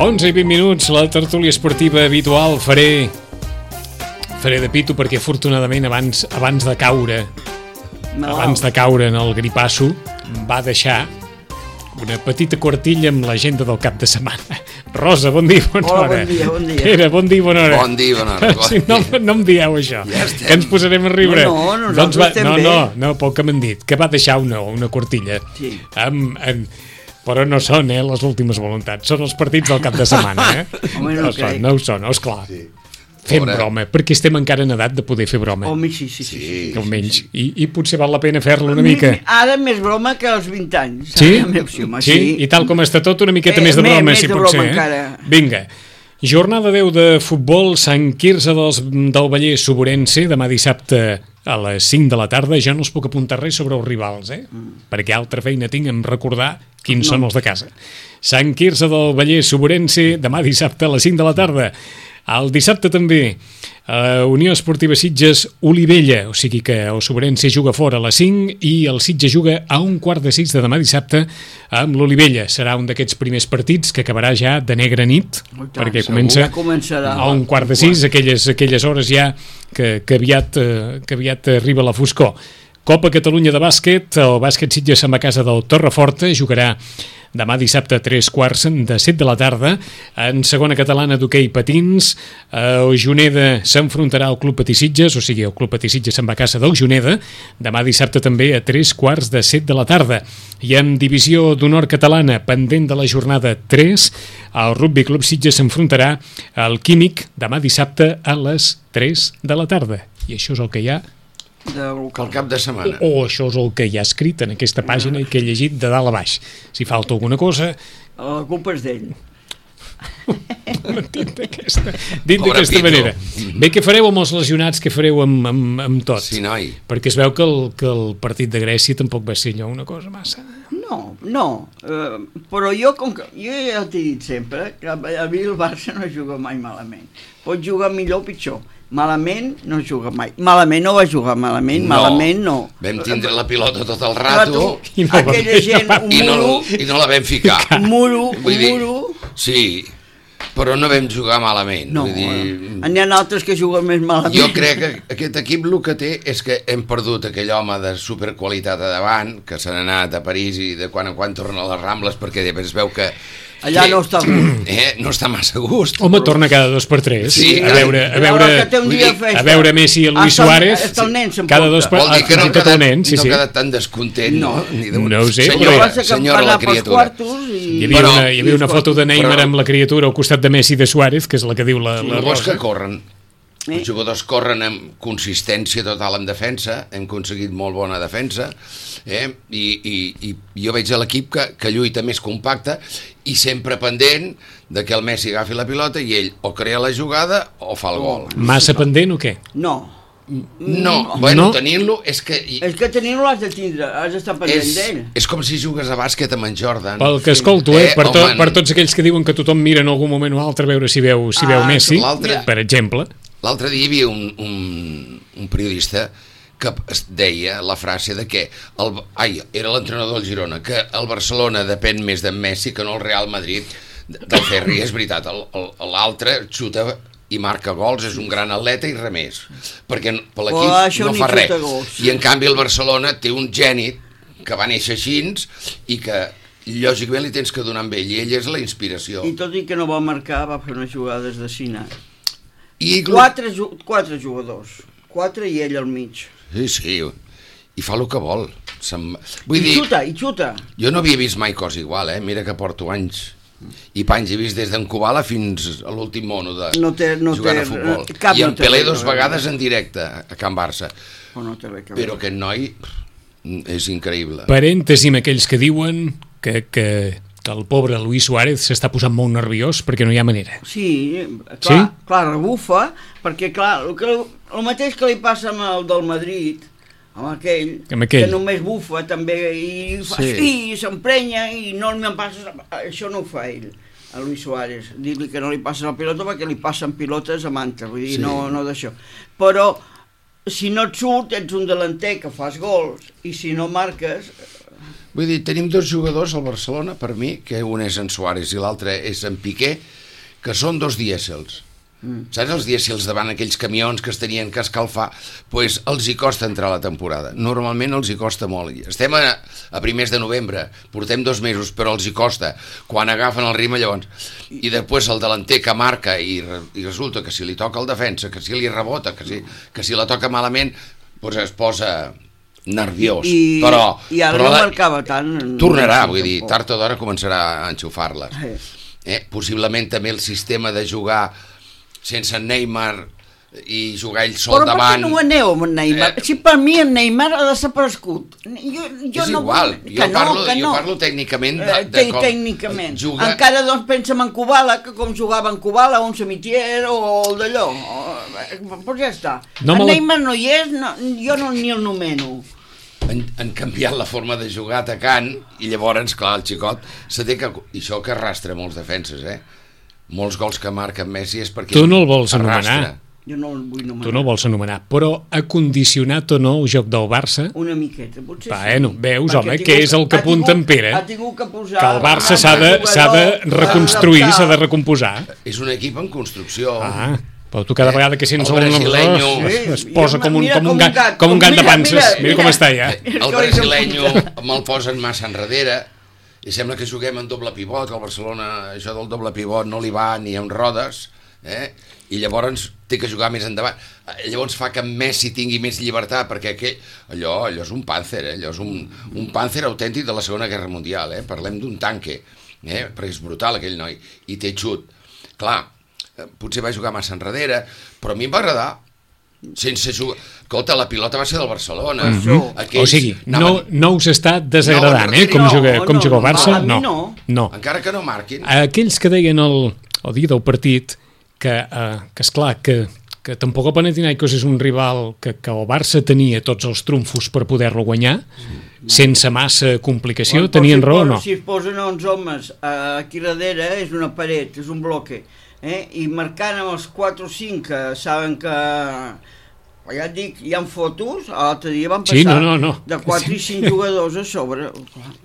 11:20, la tertúlia esportiva habitual. Faré de pito perquè afortunadament abans de caure en el gripasso va deixar una petita quartilla amb l'agenda del cap de setmana. Rosa, bon dia, bona hora. Bon dia. Pere, bon dia, bona hora. Bon dia, bona hora. Si no em dieu això, ja que ens posarem a riure. No, nosaltres estem bé. No, pel que m'han dit, que va deixar una quartilla. Sí. Però no són les últimes voluntats, són els partits del cap de setmana. Home, no crec. No ho són, esclar. Sí. Fem broma, perquè estem encara en edat de poder fer broma. Home, sí. Almenys. I potser val la pena fer-lo una mica. Ara més broma que als 20 anys. Sí? I tal com està tot, una miqueta més de broma, si pot ser. Vinga. Jornada 10 de futbol, Sant Quirze del Vallès, Suburense, demà dissabte a les 5 de la tarda. Jo no us puc apuntar res sobre els rivals, perquè altra feina tinc en recordar quins són els de casa. Sant Quirze del Vallès, Suburense, demà dissabte a les 5 de la tarda. El dissabte també, Unió Esportiva Sitges, Olivella, o sigui que el Suburense juga fora a les 5 i el Sitges juga a 5:45 de demà dissabte amb l'Olivella. Serà un d'aquests primers partits que acabarà ja de negra nit, perquè comença a 5:45, aquelles hores ja que aviat arriba la foscor. Copa Catalunya de bàsquet, el bàsquet Sitges se'n va a casa del Torreforta, jugarà demà dissabte a 3:15 de la tarda. En segona catalana d'hoquei patins, el Juneda s'enfrontarà al Club Patí Sitges, o sigui, el Club Patí Sitges se'n va a casa del Juneda, demà dissabte també a 3:15 de la tarda. I en divisió d'honor catalana, pendent de la jornada 3, el Rugby Club Sitges s'enfrontarà al Químic demà dissabte a les 3 de la tarda. I això és el que hi ha el cap de setmana. Això és el que hi ha escrit en aquesta pàgina i que he llegit de dalt a baix. Si falta alguna cosa... La culpa és d'ell. Dit d'aquesta manera. Bé, què fareu amb els lesionats? Què fareu amb tot? Sí, noi. Perquè es veu que el partit de Grècia tampoc va ser allò una cosa massa... No, però jo ja t'he dit sempre que a mi el Barça no juga mai malament. Pot jugar millor o pitjor. Malament no juga mai. Malament no va jugar, malament no. Vam tindre la pilota tot el rato aquella gent, i no la vam ficar. Un muro. Sí, però no vam jugar malament. No, n'hi ha altres que juguen més malament. Jo crec que aquest equip el que té és que hem perdut aquell home de superqualitat a davant, que se n'ha anat a París i de quan en quan torna a les Rambles, perquè es veu que allà no està a gust. No està massa a gust. Home, torna cada 2 per 3. Sí, a veure Messi i Luis Suárez. Cada 2 per 3. Vol dir que no ha quedat tan descontent, no? No ho sé. Senyora la criatura. Hi havia una foto de Neymar amb la criatura al costat de Messi i de Suárez, que és la que diu la Rosa. Que corren. Els jugadors corren amb consistència total en defensa, hem aconseguit molt bona defensa, i jo veig a l'equip que lluita més compacte i sempre pendent de que el Messi agafi la pilota i ell o crea la jugada o fa el gol. Massa pendent o què? No, tenint-lo és que... És que tenint-lo has de tindre, has d'estar pendent d'ell. És com si jugues a bàsquet amb en Jordan. Pel que escolto, per tots aquells que diuen que tothom mira en algun moment o altre a veure si veu Messi, per exemple. L'altre dia hi havia un periodista que deia la frase de que era l'entrenador del Girona, que el Barcelona depèn més d'en Messi que no el Real Madrid del Ferri. És veritat, l'altre xuta i marca gols, és un gran atleta i res més, perquè per l'equip no fa res. I en canvi el Barcelona té un geni que va néixer així i que lògicament li tens que donar amb ell, i ell és la inspiració. I tot i que no va marcar, va fer unes jugades de cine. I 4 jugadors, 4 i ell al mig. Sí, i fa el que vol. I xuta. Jo no havia vist mai cosa igual, mira que porto anys i panys he vist des d'en Kubala fins a l'últim mono de jugant a futbol. I en Pelé 2 vegades en directe a Can Barça. Però aquest noi és increïble. Parèntesi amb aquells que diuen que el pobre Luis Suárez s'està posant molt nerviós perquè no hi ha manera. Sí, clar, rebufa, perquè clar, el mateix que li passa amb el del Madrid, amb aquell, que només bufa també i fa i s'emprenya i no me'n passa, això no ho fa ell, a Luis Suárez, dir-li que no li passa la pilota perquè li passen pilotes a manta, vull dir, no d'això. Però si no et surt, ets un delanter que fas gols, i si no marques... Vull dir, tenim 2 jugadors al Barcelona, per mi, que un és en Suárez i l'altre és en Piqué, que són 2 dièsels. Saps els dièsels davant aquells camions que es tenien que escalfar? Doncs els hi costa entrar a la temporada. Normalment els hi costa molt. Estem a primers de novembre, portem 2 mesos, però els hi costa. Quan agafen el ritme, llavors... I després el delanter que marca i resulta que si li toca el defensa, que si li rebota, que si la toca malament, doncs es posa nerviós. Però ara no marcava tant. Tornarà, vull dir, tard o d'hora començarà a enxufar-les. Possiblement també el sistema de jugar sense Neymar i jugar ell sol davant... Però per què no ho aneu amb Neymar? Si per mi en Neymar ha desaparegut. És igual, jo parlo tècnicament de com tècnicament. Encara doncs pensem en Kubala, que com jugava en Kubala, un Samitier o el d'allò. Doncs ja està. En Neymar no hi és, jo ni el nomeno. Han canviat la forma de jugar atacant i llavors, clar, el xicot se té que... I això que arrastra molts defenses, molts gols que marca Messi és perquè tu no el vols anomenar. Jo no el vull anomenar. Tu no el vols anomenar, però ha condicionat o no el joc del Barça? Una miqueta, potser bueno, veus, home, que és el que apunta en Pere. Ha tingut que posar... Que el Barça s'ha de reconstruir, s'ha de recomposar. És un equip en construcció. Però tu cada vegada que sents un es posa com un gat de panses. Mira com està ja. El brasileño me'l posen massa enrere i sembla que juguem en doble pivot. Al Barcelona això del doble pivot no li va ni amb rodes, i llavors té que jugar més endavant. Llavors fa que Messi tingui més llibertat, perquè allò és un pàncer, allò és un pàncer autèntic de la Segona Guerra Mundial, parlem d'un tanque, perquè és brutal aquell noi, i té xut. Clar, potser va jugar massa enrere, però a mi em va agradar. Sense jugar... Escolta, la pilota va ser del Barcelona. O sigui, no us està desagradant, com juga el Barça? No. Encara que no marquin. Aquells que deien el dia del partit que esclar, que tampoc el Panathinaikos és un rival que el Barça tenia tots els trumfos per poder-lo guanyar, sense massa complicació, tenien raó o no? Si es posen 11 homes aquí darrere, és una paret, és un bloque, i marcant amb els 4 o 5 que saben que, ja et dic, hi ha fotos, l'altre dia van passar de 4 i 5 jugadors a sobre.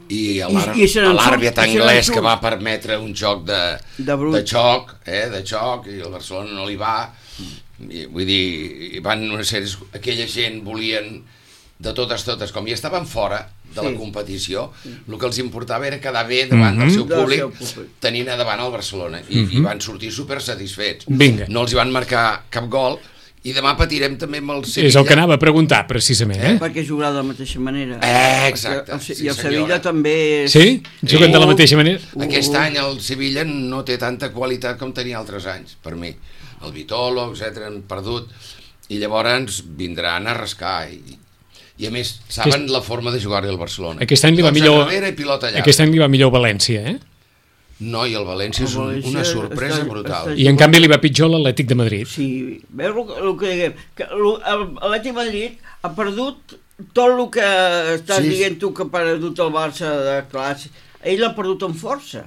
I l'àrbit anglès que va permetre un joc de xoc, i el Barcelona no li va, vull dir, van una sèrie, aquella gent volien de totes, com ja estaven fora de la competició, el que els importava era quedar bé davant del seu públic, tenint a davant el Barcelona, i van sortir super satisfets. No els hi van marcar cap gol, i demà patirem també amb el Sevilla. És el que anava a preguntar, precisament. Perquè jugarà de la mateixa manera. Exacte. I el Sevilla també és... Sí? Juguen de la mateixa manera? Aquest any el Sevilla no té tanta qualitat com tenia altres anys, per mi. El Vitolo, etc., han perdut, i llavors vindran a rascar, i a més saben la forma de jugar-hi al Barcelona. Aquest any li va millor València, No, i el València és una sorpresa brutal. I en canvi li va pitjor l'Atlètic de Madrid. Sí, veus el que diguem? L'Atlètic de Madrid ha perdut tot el que estàs dient tu que ha perdut el Barça de classe. Ell l'ha perdut amb força,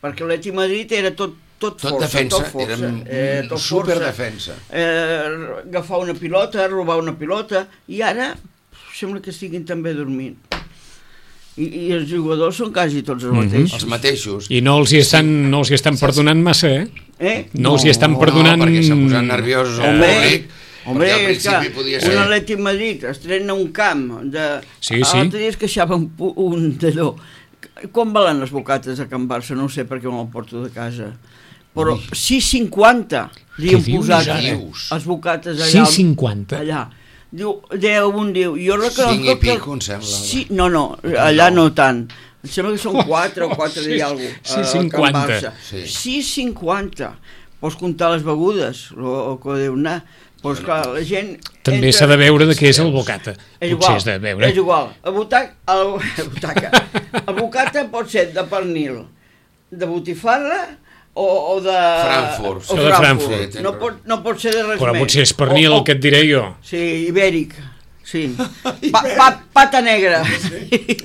perquè l'Atlètic de Madrid era tot força, era superdefensa. Agafar una pilota, robar una pilota, i ara sembla que estiguin també dormint. I els jugadors són quasi tots els mateixos. Els mateixos. I no els hi estan perdonant massa, No els hi estan perdonant... No, perquè s'han posat nerviosos al públic. Home, és que un Atlètic de Madrid estrena un camp l'altre dia es queixava un d'allò. Com valen les bocates a Can Barça? No ho sé perquè me'l porto de casa. Però 6,50 li han posat les bocates allà. 6,50? Allà. Diu, un diu, jo reconec que... 5 i pico, em sembla. No, allà no tant. Em sembla que són 4 o 4 i alguna cosa. 6,50. 6,50. Pots comptar les begudes, el que deu anar. Pues clar, la gent... També s'ha de veure de què és el bocata. És igual. El bocata pot ser de pernil, de botifarra, o de Frankfurt. No pot ser de res més. Però potser és pernil el que et diré jo. Sí, ibèric. Sí. Pata negra.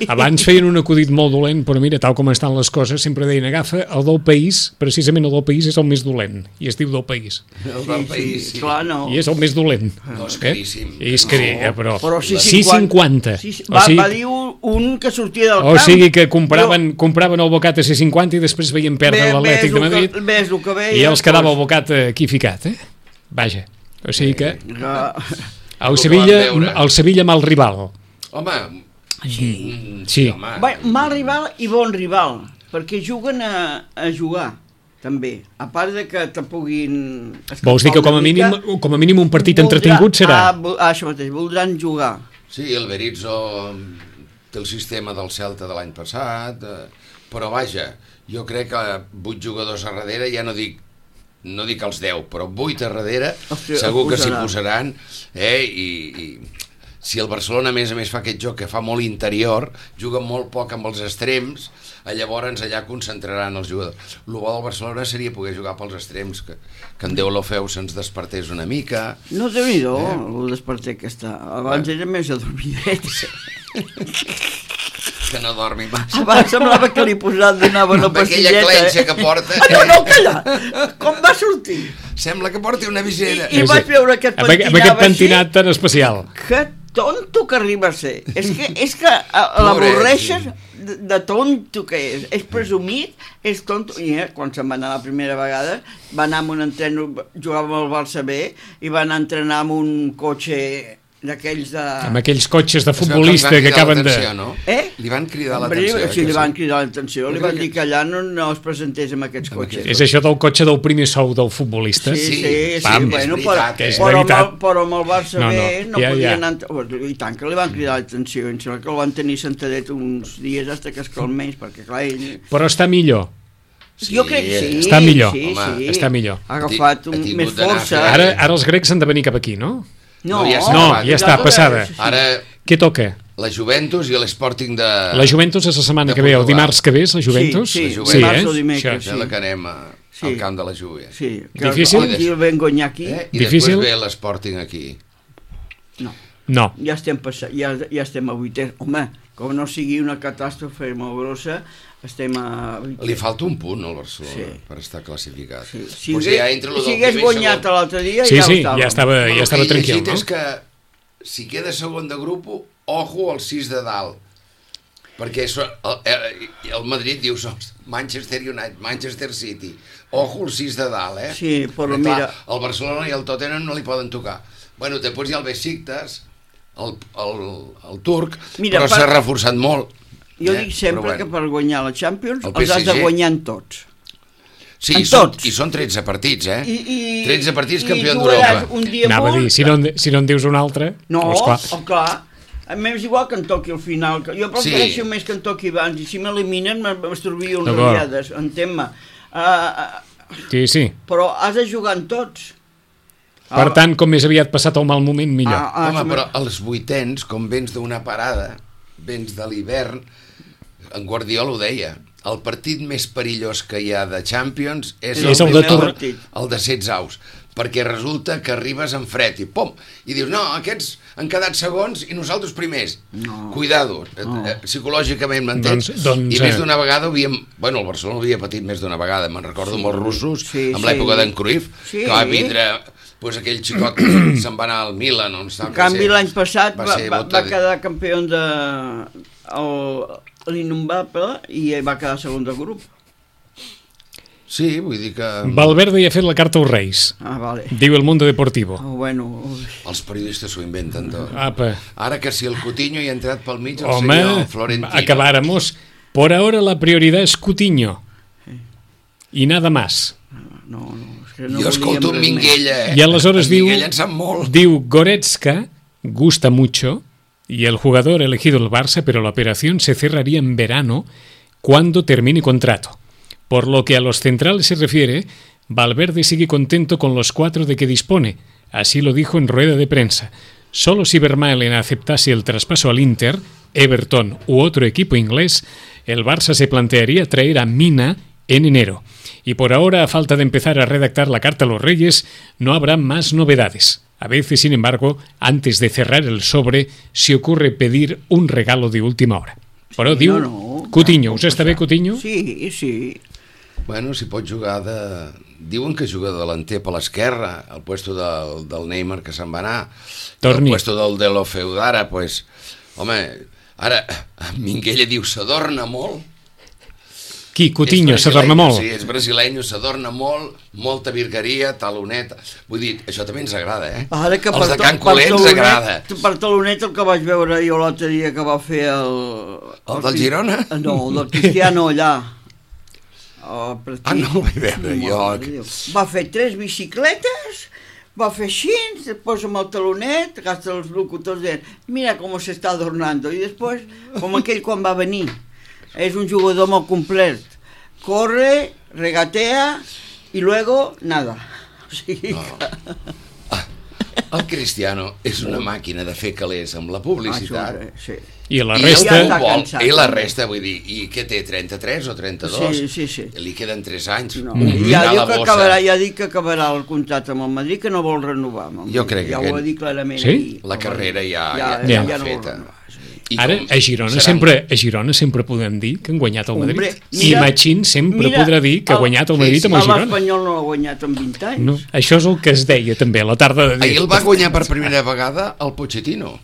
Abans feien un acudit molt dolent, però mira, tal com estan les coses, sempre deien, agafa el del país, precisament el del país és el més dolent, i es diu del país. El del país, sí. Clar, no. I és el més dolent. No, és caríssim. És caríssim, però 6,50. Va dir un que sortia del camp. O sigui que compraven el bocat a 6,50 i després veien perdre l'Atlètic de Madrid i els quedava el bocat aquí ficat, Vaja, o sigui que... El Sevilla mal rival. Home, sí. Mal rival i bon rival, perquè juguen a jugar, també. A part de que te puguin... Vols dir que com a mínim un partit entretingut serà? Això mateix, voldran jugar. Sí, el Berizzo té el sistema del Celta de l'any passat, però vaja, jo crec que 8 jugadors a darrere, ja no dic els 10, però 8 a darrere segur que s'hi posaran, i si el Barcelona a més fa aquest joc que fa molt interior, juga molt poc amb els extrems, llavors allà concentraran els jugadors. El bo del Barcelona seria poder jugar pels extrems, que en Deulofeu se'ns despertés una mica. No, Déu-n'hi-do, el desperter que està. Abans era més adormidet. Que no dormi massa. Abans semblava que li donava una pastilleta. Aquella clenxa que porta. No, calla! Com va sortir? Sembla que porti una visera. I vaig veure que et pentinava amb aquest pentinat tan especial. Que tonto que arriba a ser. És que l'avorreixes de tonto que és presumit, és tonto. I quan se'n va anar la primera vegada, va anar amb un entreno, jugava amb el Barça B, i va anar a entrenar amb un cotxe d'aquells de... Amb aquells cotxes de futbolista que acaben de... No? Li van cridar l'atenció. Sí, li van cridar l'atenció. Li van dir que allà no es presentés amb aquests cotxes. És això del cotxe del primer sou del futbolista? Sí, bueno, però amb el Barça B no podien anar... I tant que li van cridar l'atenció. Em sembla que el van tenir sentadet uns dies fins que es calmés, perquè clar, ell... Però està millor. Jo crec que sí. Està millor. Sí. Està millor. Ha agafat més força. Ara els grecs han de venir cap aquí, no? No, ja està, passada. Ara, què toca? La Juventus i l'Sporting de... La Juventus és la setmana que ve, el dimarts que ve és la Juventus? Sí, dimarts o dimecres. La que anem al camp de la Juve. Sí, difícil? I el ben guanyar aquí. I després ve l'Sporting aquí. No. Ja estem a 8è. Home, com no sigui una catàstrofe molt grossa, estem a 8è. Li falta un punt al Barcelona per estar classificat. Si hagués guanyat l'altre dia, ja estava tranquil, no? És que si queda segon de grup, ojo al 6 de dalt. Perquè el Madrid diu Manchester United, Manchester City, ojo al 6 de dalt, Sí, però mira... El Barcelona i el Tottenham no li poden tocar. Bueno, després hi ha el Besiktas, el turc, però s'ha reforçat molt. Jo dic sempre que per guanyar la Champions els has de guanyar en tots. Sí, i són 13 partits, 13 partits campió d'Europa. Anava a dir, si no en dius un altre... No, clar. A mi és igual que em toqui al final. Jo prefereixo més que em toqui abans, i si m'eliminen m'esturbio unes ratllades, entén-me. Sí. Però has de jugar en tots. Per tant, com més aviat passat el mal moment, millor. Home, però als 8ens, com vens d'una parada, vens de l'hivern, en Guardiola ho deia, el partit més perillós que hi ha de Champions és el de 16 aus, perquè resulta que arribes en fred i pom, i dius, no, aquests han quedat segons i nosaltres primers. Cuidado, psicològicament m'entens? I més d'una vegada el Barcelona havia patit més d'una vegada, me'n recordo amb els russos, amb l'època d'en Cruyff, que va vindre aquell xicot que se'n va anar al Milan. En canvi l'any passat va quedar campió de l'Innombrable i va quedar segon del grup. Sí, vull dir que... Valverde ja ha fet la carta als Reis. Vale. Diu el Mundo Deportivo. Els periodistes s'ho inventen tot. Apa. Ara que si el Coutinho hi ha entrat pel mig, el senyor Florentino... Acabáramos. Por ahora la prioridad es Coutinho. Y nada más. No, jo escolto un Minguella, I aleshores Minguella en sap molt. Diu Goretzka gusta mucho y el jugador elegido el Barça, pero la operación se cerraría en verano cuando termine contrato. Por lo que a los centrales se refiere, Valverde sigue contento con los 4 de que dispone. Así lo dijo en rueda de prensa. Solo si Vermaelen aceptase el traspaso al Inter, Everton u otro equipo inglés, el Barça se plantearía traer a Mina en enero. Y por ahora, a falta de empezar a redactar la carta a los Reyes, no habrá más novedades. A veces, sin embargo, antes de cerrar el sobre, se ocurre pedir un regalo de última hora. Però diu, Coutinho, us està bé, Coutinho? Sí, sí. Bueno, si pot jugar de... Diuen que juga de delanter per l'esquerra, al puesto del Neymar, que se'n va anar. Torni. Al puesto del Delo Feudara, pues... Home, ara, Minguella diu, s'adorna molt. Qui? Coutinho, s'adorna molt? Sí, és brasileño, s'adorna molt, molta virgueria, taloneta... Vull dir, això també ens agrada, eh? Ara que els de Can Coler ens agrada. Per taloneta el que vaig veure jo l'altre dia que va fer el... El del Girona? No, el del Cristiano allà. No el vaig veure jo. Va fer 3 bicicletes, va fer així, després amb el talonet, hasta els locutors deien, mira com s'està adornando, i després, com aquell quan va venir, és un jugador molt complet, corre, regatea, i luego, nada. O sigui que... El Cristiano és una màquina de fer calés amb la publicitat. Sí. I la resta... I la resta, vull dir, i què té, 33 o 32? Sí. Li queden 3 anys. No. Ja dic que acabarà el contracte amb el Madrid, que no vol renovar. Jo crec que... Ja ho ha dit clarament. Sí? La carrera ja feta. Ara, a Girona sempre podem dir que han guanyat el Madrid. I Machín sempre podrà dir que ha guanyat el Madrid amb el Girona. L'Espanyol no l'ha guanyat en 20 anys. No, això és el que es deia també a la tarda de dir. Ahir el va guanyar per primera vegada el Pochettino.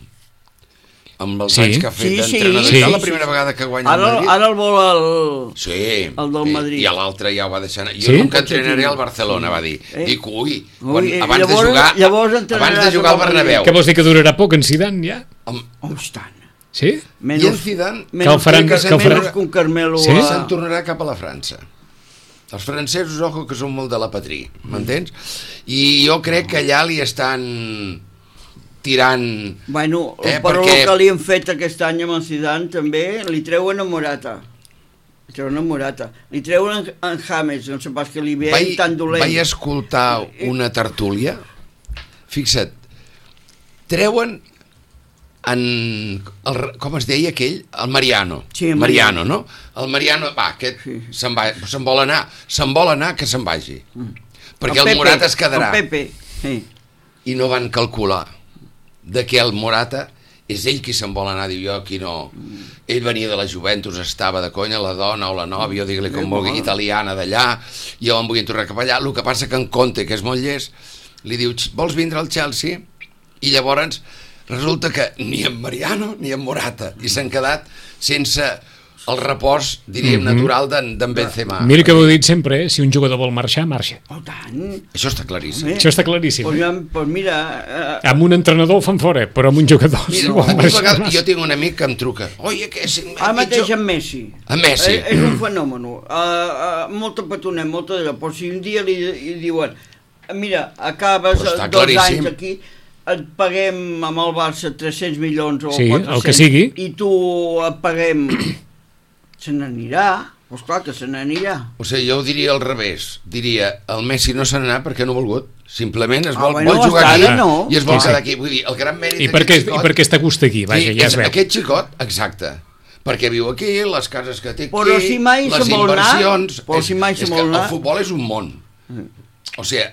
Amb els anys que ha fet d'entrenador. És la primera vegada que guanya el Madrid. Ara el vol el del Madrid. I l'altre ja ho va deixar anar. Jo nunca entrenaré al Barcelona, va dir. Dic, abans de jugar al Bernabéu. Què vols dir, que durarà poc en Zidane ja? Tant. Sí? I en Zidane con Carmelo se'n tornarà cap a la França. Els francesos, ojo, que són molt de la patria, m'entens? I jo crec que allà li estan tirant... Bueno, però el que li han fet aquest any amb el Zidane també, li treuen a Morata. Li treuen en James, no sé pas que li ve tan dolent. Vaig escoltar una tertúlia, fixa't, treuen com es deia aquell? El Mariano. Sí, Mariano, no? El Mariano, aquest se'n vol anar, que se'n vagi. Perquè el Morata es quedarà. El Pepe, sí. I no van calcular de que el Morata és ell qui se'n vol anar, diu jo aquí no. Ell venia de la Juventus, estava de conya, la dona o la nòvia, o digue-li com vulgui, italiana d'allà, i el van voler tornar cap allà. El que passa que en Conte, que és molt llest, li diu, vols vindre al Chelsea? I llavors resulta que ni en Mariano ni en Morata, i s'han quedat sense el repòs, diríem, natural d'en Benzema. Mira que ho he dit sempre, si un jugador vol marxar, marxa. Oh, tant. Això està claríssim. Això està claríssim. Pues mira... Amb un entrenador el fan fora, però amb un jugador... Mira, jo tinc un amic que em truca. Ara mateix amb Messi. Amb Messi. És un fenomen. Molta petonet, molta d'allò. Però si un dia li diuen mira, acabes 2 anys aquí... et paguem amb el Barça 300 milions o 400 el que sigui, i tu et paguem, se n'anirà, doncs clar que se n'anirà. O sigui, jo ho diria al revés, diria, el Messi no se n'anà perquè no ha volgut, simplement es vol jugar aquí i es vol quedar aquí. Vull dir, el gran mèrit d'aquest xicot... I perquè està a gust aquí, vaja, ja es veu. Aquest xicot, exacte, perquè viu aquí, les cases que té aquí, però si mai les inversions... El futbol és un món. O sigui,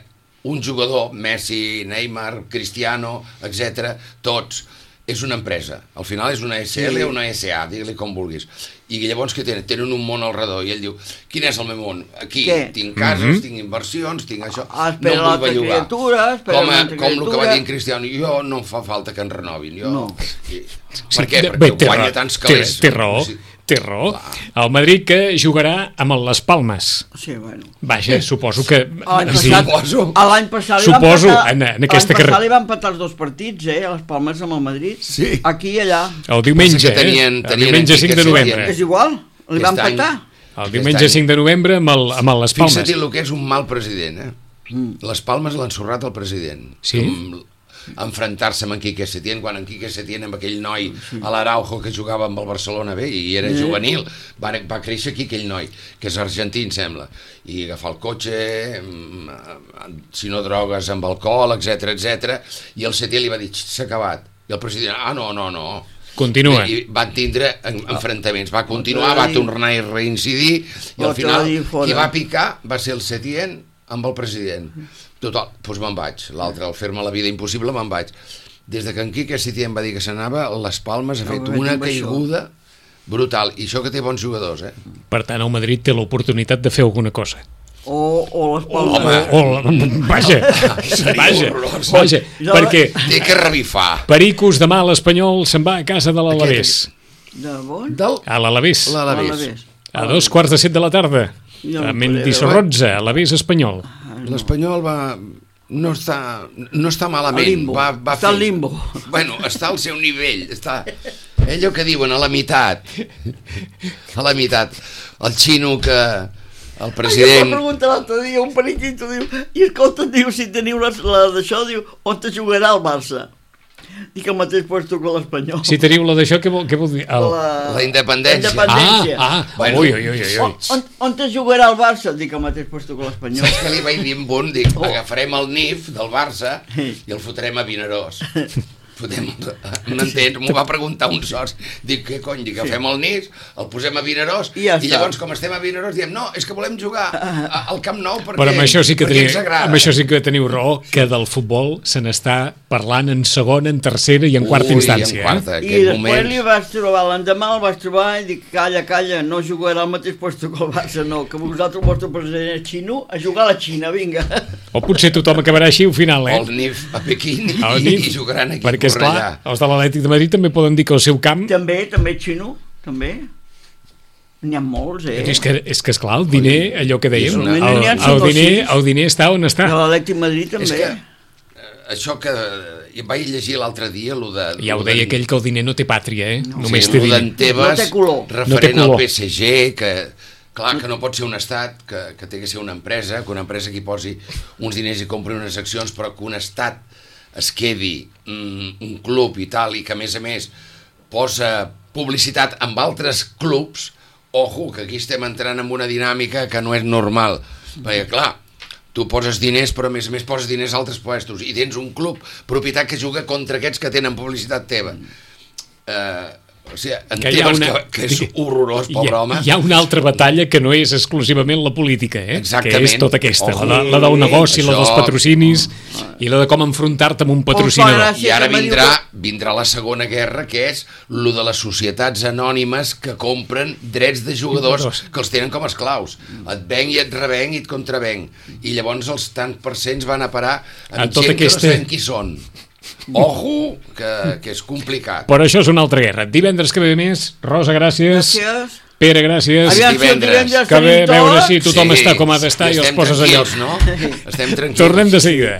un jugador, Messi, Neymar, Cristiano, etc., tots, és una empresa. Al final és una SL o una SA, digue-li com vulguis. I llavors què tenen? Tenen un món al redor. I ell diu, quin és el meu món? Aquí tinc cases, tinc inversions, tinc això. No em vull bellugar. Com el que va dir en Cristiano, jo no em fa falta que em renovin. Per què? Perquè guanya tants calés. Té raó. El Madrid que jugarà amb el Las Palmes. Sí, bueno. Vaja, suposo que... L'any passat li van empatar els 2 partits, a Les Palmes amb el Madrid. Sí. Aquí i allà. El diumenge, el diumenge 5 de novembre. És igual, li van empatar. El diumenge 5 de novembre amb el Les Palmes. Fixa't el que és un mal president, Les Palmes l'ha ensorrat el president. Sí? Enfrontar-se amb en Quique Setién, quan en Quique Setién amb aquell noi a l'Araujo que jugava amb el Barcelona bé i era juvenil, va créixer aquí aquell noi, que és argentí, em sembla, i agafar el cotxe, si no drogues amb alcohol, etc, i el Setién li va dir, s'ha acabat, i el president, no. Continua. I van tindre enfrontaments, va continuar, va tornar a reincidir, i al final qui va picar va ser el Setién amb el president. Total, doncs me'n vaig. L'altre, al fer-me la vida impossible, me'n vaig. Des de que en Quique Setién va dir que s'anava, les Palmes ha fet una caiguda brutal. I això que té bons jugadors, Per tant, el Madrid té l'oportunitat de fer alguna cosa. O les Palmes. Vaja, perquè... Té que revifar. Pericos demà l'Espanyol se'n va a casa de l'Alavés. De bon? A l'Alavés. A 7:15 de la tarda. A Mendy Sorrotza, Alavés Espanyol. L'Espanyol no està malament. Està al limbo. Bueno, està al seu nivell. Està allò que diuen, a la meitat. A la meitat. El xino que... El president... Em va preguntar l'altre dia, un periquito, diu, i escolta, diu, si teniu la d'això, diu, on te jugarà el Barça? Dic el mateix puesto que l'Espanyol. Si teniu la d'això, què vol dir? La independència. Bueno. On te jugarà el Barça? Dic el mateix puesto que l'Espanyol. Saps que li vaig dir amb un? Dic, agafarem el NIF del Barça i el fotrem a Vinaròs. M'entens? M'ho va preguntar un soci. Dic, què cony? Dic, agafem el NIS, el posem a Vinaròs i llavors, com estem a Vinaròs, diem, no, és que volem jugar al Camp Nou perquè amb això sí que ens agrada. Amb això sí que teniu raó, que del futbol se n'està parlant en segona, en tercera i en quarta instància. I després li vaig trobar, l'endemà el vaig trobar i dic, calla, no jugarà al mateix puesto que el Barça, no, que vosaltres, el vostre president és xino, a jugar a la Xina, vinga. O potser tothom acabarà així al final, O el NIF a Pequín i jugaran aquí. Perquè, esclar, els de l'Atlètic de Madrid també poden dir que el seu camp... També xino, també. N'hi ha molts, És que, esclar, el diner, allò que dèiem, el diner està on està. L'Atlètic de Madrid també. És que això que vaig llegir l'altre dia, ja ho deia aquell que el diner no té pàtria, només té diner. No té color. Referent al PSG, que... Clar, que no pot ser un estat, que té que ser una empresa, que una empresa que hi posi uns diners i compri unes accions, però que un estat es quedi un club i tal, i que a més posa publicitat amb altres clubs, ojo, que aquí estem entrant en una dinàmica que no és normal, perquè clar, tu poses diners però a més poses diners a altres puestos i tens un club propietat que juga contra aquests que tenen publicitat teva. O sigui, que és horrorós, pobre home. Hi ha una altra batalla que no és exclusivament la política, Exactament. Que és tota aquesta, la del negoci, la dels patrocinis i la de com enfrontar-te amb un patrocinador. I ara vindrà la segona guerra, que és lo de les societats anònimes que compren drets de jugadors que els tenen com a esclaus. Et venc i et revenc i et contravenc. I llavors els tants percents van a parar amb gent que no sabem qui són. Ojo, que és complicat. Però això és una altra guerra. Divendres que ve més. Rosa, gràcies. Pere, gràcies. Divendres que ve veure si tothom està com ha d'estar i els poses allà. Estem tranquils. Tornem de seguida.